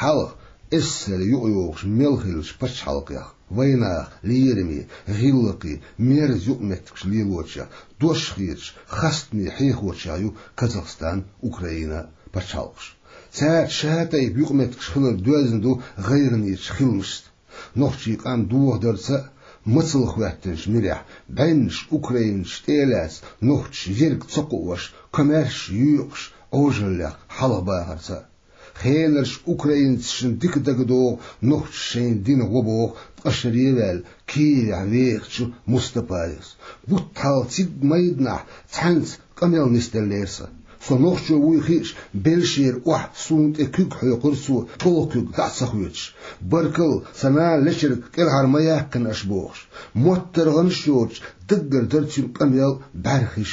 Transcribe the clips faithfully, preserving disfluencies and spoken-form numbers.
Хьалха эсэсэр юкъайогӀуш мел хиллача пачхьалкхех, вайнаха лераме, гӀиллакхе, мерза юкъаметтигаш лелочех, дош хеташ, хастаме хьехочех ю Казахстан, Украина пачхьалкхаш. Цаьрца шатайпа юкъаметтигаш хилар доьзна ду гӀайгӀанеча хиламашца. Нохчий къам дохадарца а, мацалла хӀоьттинчу мирехь, бӀеннаш украинцаш тӀе а лаьцна, нохчаша ерг ца кхоош, комаьрша юкъаш Ӏожаллех хьалхабахарца а. Хенарш украинцашна дика дагадогӀу нохчаша шайна дина гӀо боху ткъа шаре а ваьлла Киевехь вехачу Мустапаевс. Бутт хьалха цига майданахь цхьаьнца къамел нисделлера сан. Со нохчо вуй хиъча, белшера охьа суна тӀе куьг хьоькхура цо, чӀогӀа куьг дӀа а ца хоьцуш. Баркалла, сан нана лечуьрг кӀелхьара ма яьккхина аша бохуш. МоттаргӀанаш йоцуш, даггара дара цуьнан къамел, бӀаьрхиш.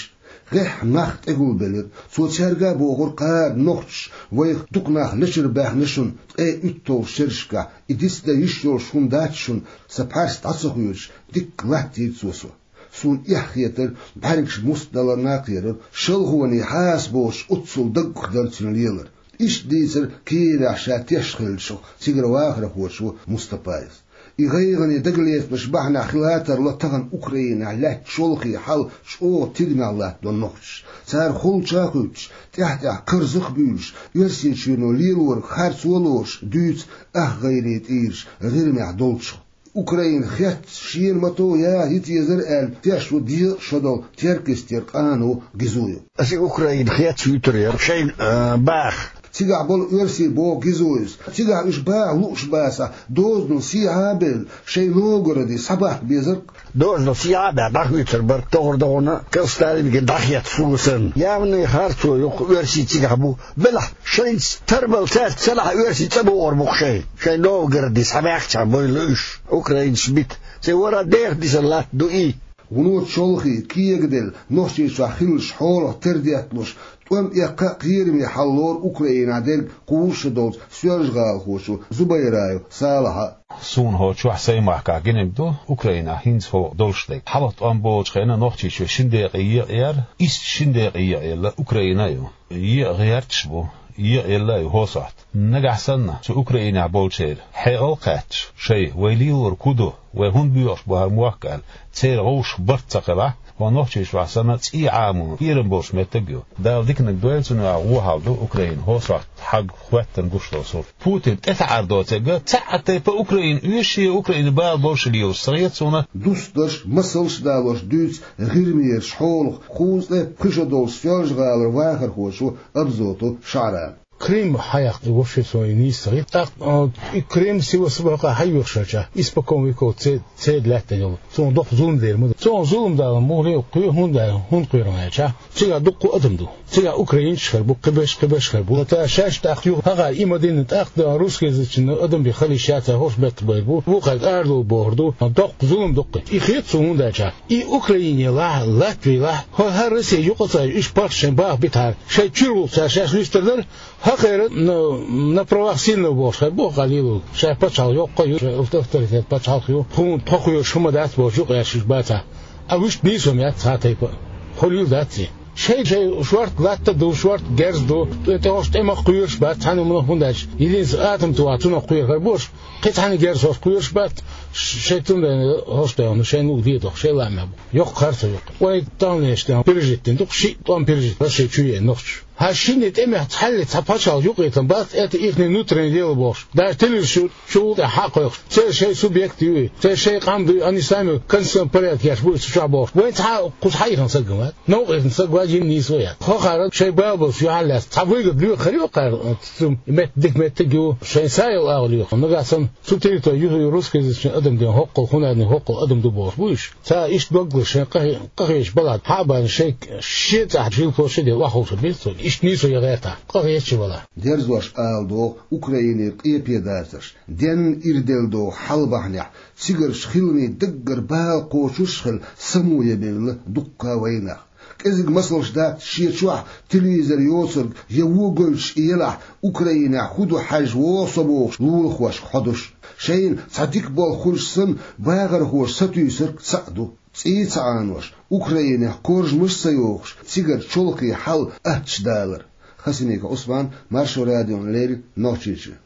ГӀеххьа нах тӀегулбелира. Цо цаьрга а бохура: «Кхара нохчаша вайх дукха нах лечуьра баьхна шуна ткъе уьтталгӀачу шерашкахь, и дицдан йиш йолуш хӀума дац шуна», сан пхьарс дӀа ца хоьцуш, дикка латтийра цо со. Суна эхь хетара, бӀаьргаш муст даларна а кхерара, шалхоне хьаса боцуш оццул даггах дара цуьнан лелар. Иштта дийцира Киевехь ша теш хиллачух, цигара вахархочо Мустапаевс. И гӀайгӀане дагалецамаш бахьанехь хила а тарло тахана Украинехь лаьтта шолгӀа хьал чӀогӀа тидамехь латтадо нохчаша. Цара холча а хуьттуш, тӀаьхь-тӀаьхьа карзах а буьйлуш, Оьрсийчоьно лелориг харцо а лоруш, дуьйцу ах гӀайре тӀийраш ГӀирмехь долчух. Украина хецна шена мато яхьа йита езара аьлла, теш ву дезткъа шо долу Теркйистера къано Гизуев. Аса Украина хецна вуьтур яра шайна, а, баха. Цигахь болу оьрсий, боху Гизуевс, цигахь уьш баха лууш бацахь, дозанал сехьа а белла, шайн Новгороде схьабаха безара. Дозанал сехьа а баьхна, дӀахоьцур бара, тохара догӀана Сталинга дӀахетта сула санна. Явный харцо ю-кх, оьрсий цигахь бу. Белахь, шайца тарбала цаьрца ца лахь, оьрсий цӀа бохур бу-кх шайн. Шайн Новгороде схьабаьхча бойла уьш, украинцаш бита. Церан вара деха дисар латта ду и. Вуно чолхе, кегаделла, Нохчийчохь хиллачу хьолах тера детталуш, тӀом эккха а кхераме хьал лору Украинехь дерг кхузткъа шо долчу соьлжа-гӀалахочо Зубайраев Салахьа. Суна хӀокху чохь сайн махкахь гинарг ду, Украинехь хӀинца хӀокху долуш дерг. Хьалха тӀом болчу хенахь Нохчийчоь шина декъе екъаелла, иштта шина декъе екъаелла Украина а ю. Екъа гӀерташ бу, екъаелла а ю хӀокху сохьта. Нагахь санна, цу Украинехь болчеран хьекъал а кхаьчча, шайн, вай лелориг хӀун ду, вай хӀунда боьхуш бу хӀара мохк аьлла, церан гӀовшах барт ца хилахь, хӀокху Нохчийчохь санна цӀий Ӏаморна кхерам болуш меттиг а ю. Дала диканиг дойла, цунах гӀо хьал ду Украина хӀокху сохьта хьагӀ хӀоьттина гуш долу сурт. Путин тӀетаӀар доцург, цхьа а тайпа Украина оьшуш, Украина бала болуш лелаш ца хета суна. Дустарш, масалш а далош дуьйцу ГӀирмерчу хьолах кхузткъе пхи шо долчу соьлжа-гӀалара вахархочо Абзотов Шаьрана. Крым хьаяккха и вообще цо и нийса ца хета. ТӀаккха, а, и Крым Севастополь хьайоьхуш хилча, испокон веков це-, церан лаьтта йолу. Цунах доккха зулам дер ма ду. Цунах зулам далар муххале а кхоьру, хӀунда аьлла, хӀунда кхоьру аьлча, цигахь дуккха адам ду. Цигахь украинцаш хир бу, кхиберш, кхиберш хир бу. Ца шаьш тӀаккха юха хьахара и ма дина, тӀаккха русскоязычный адам бен хила йиш яц, хӀорш бетта бер бу. Вукхарг арадовла бохур ду, доккха зулам ду-кх и. И хета цунна, хӀунда аьлча, и Украине лахь, Латвии лахь, хӀо-, хӀара Россия юкъа ца, уьш паччахьан баха битахьара, шайн чуьра гӀуллакх цара шаьш вистар дара, хӀокхеран на, на правах сильного бохуш хир бу, хӀокхо лелориг. Шайн пачхьалкх йоккха ю, шайн авторитет пачхьалкх ю, тхуна тхо кхоьруш хӀума дац бохуш юкъа яьлча уьш бацахь. А вуьшта нийсо ма яц цхьа а тайпа а. Хьо лийла дац и. Шайн, шайн шорта латта а ду, шорта герз а ду, тӀе-, тӀе хӀорш тӀе ма кхоьруш бац, цхьана хӀуманах, хӀунда аьлча, йилинца атом тӀе ваха цунах кхоьру хир бу уьш. Кхин цхьана герз хӀорш кхоьруш бац, ш-, шайн тумаден хӀорш тӀе ваха, шайн нуга де доху, шайн лаамехь бу. Йоккха харцо ю-кх. Вай таханлерчу тӀемах пережить дина ду-кх шиъ тӀом, пережить, Россия чу еана нохчаша. Хьан шинне тӀемехь цхьалле цхьа пачхьалкх юкъаийтина бац, это ихний внутреннее дело бохуш. Даже телевизор чу, чу гӀуллакх тӀехь хьа а кхойкхуш, церан шайн субъект ю и, церан шайн къам ду и, они сами в конституционном порядке еш бу и цу чохь бохуш. Вайн цхьа а кхуза хьаихна стаг ма вац, новкъа ихна стаг вац, йина нийсо яц. ХӀокхара шайн балбалш юьхьарлаьцна цхьа выгода лоьхур ю-кх хӀара, цу метта дика меттиг ю, шайн са йолу агӀо лоьхуш. Нагахь санна цу территори юххе русскоязычный адам ден хӀоккхул, хӀунда аьлла хӀоккхул адам ду бохуш бу уьш. Цара иштта доггал шайн къахе-, къахеташ балахь, хьа а бахна шайн шен цӀахь жил площаде охьаховшар бен цо, иштта нийсо ян гӀертахь, къахеташ а валахь. Дерзош ала догӀу Украинера къепедацарш, денна ирделла догӀу хьал бахьанехь, цигарчу хиламийн даггара бала кхочуш а хилла, само ян бевлла дуккха а вайнах. КӀезиг масалш дац, шен чохь телевизор йоцург я вон гойтуш и елахь, Украинехь хӀун ду хьаьжжа вогӀу со бохуш лулахошка хьодуш. Шайна цхьа дика болх хуьлуш санна, бахархоша сатуьйсург цхьаъ ду. ЦӀий а ца Ӏанош, Украинехь коржамаш а ца йохуш, цигара чолхе хьал аттачу далар. Хасимиков Ӏусман, Маршо радиона леррина, Нохчийчоь.